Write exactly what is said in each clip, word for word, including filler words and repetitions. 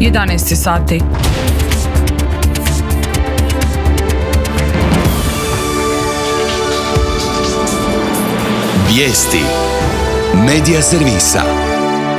jedanaest sati. Vijesti Medija servisa.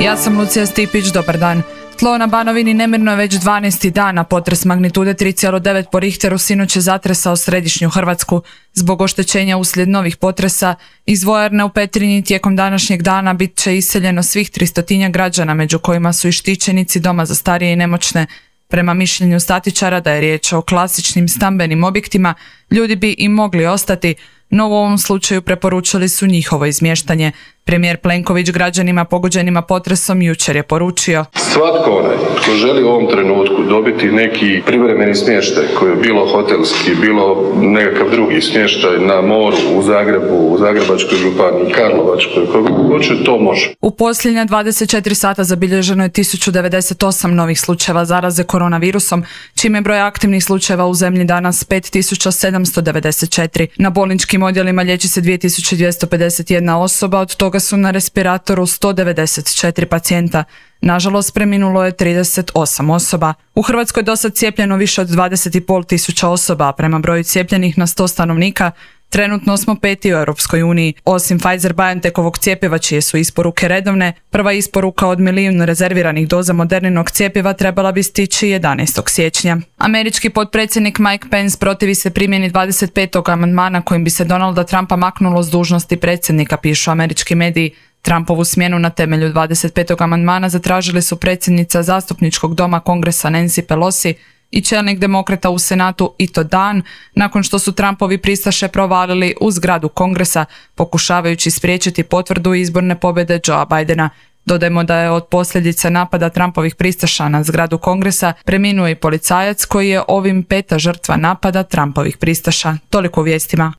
Ja sam Lucija Stipić, dobar dan. Tlo na Banovini nemirno je već dvanaesti dana. Potres magnitude tri zarez devet po Richteru sinoć je zatresao središnju Hrvatsku. Zbog oštećenja uslijed novih potresa iz vojarne u Petrinji tijekom današnjeg dana bit će iseljeno svih tristotinja građana, među kojima su i štićenici doma za starije i nemoćne. Prema mišljenju statičara da je riječ o klasičnim stambenim objektima, ljudi bi i mogli ostati, no u ovom slučaju preporučili su njihovo izmještanje. Premijer Plenković građanima pogođenima potresom jučer je poručio: Svatko onaj tko želi u ovom trenutku dobiti neki privremeni smještaj, koji je bilo hotelski, bilo nekakav drugi smještaj na moru, u Zagrebu, u Zagrebačkoj županiji, Karlovačkoj, koga hoće, to može. U posljednja dvadeset četiri sata zabilježeno je tisuću devedeset osam novih slučajeva zaraze koronavirusom, čime je broj aktivnih slučajeva u zemlji danas pet tisuća sedamsto devedeset četiri. Na bolničkim odjelima liječi se dvije tisuće dvjesto pedeset jedna osoba, od toga su na respiratoru sto devedeset četiri pacijenta. Nažalost, preminulo je trideset osam osoba. U Hrvatskoj je dosad cijepljeno više od dvadeset i pol tisuća osoba, a prema broju cijepljenih na sto stanovnika trenutno smo peti u Europskoj uniji. Osim Pfizer-BioNTechovog cjepiva, čije su isporuke redovne, prva isporuka od milijun rezerviranih doza Moderninog cjepiva trebala bi stići jedanaestog siječnja. Američki potpredsjednik Mike Pence protivi se primjeni dvadeset petog amandmana kojim bi se Donalda Trumpa maknulo s dužnosti predsjednika, pišu američki mediji. Trumpovu smjenu na temelju dvadeset petog amandmana zatražili su predsjednica zastupničkog doma Kongresa Nancy Pelosi i čelnik demokrata u Senatu i to dan nakon što su Trumpovi pristaše provalili u zgradu Kongresa, pokušavajući spriječiti potvrdu izborne pobjede Joea Bidena. Dodajmo da je od posljedica napada Trumpovih pristaša na zgradu Kongresa preminuo i policajac koji je ovim peta žrtva napada Trumpovih pristaša. Toliko u vijestima.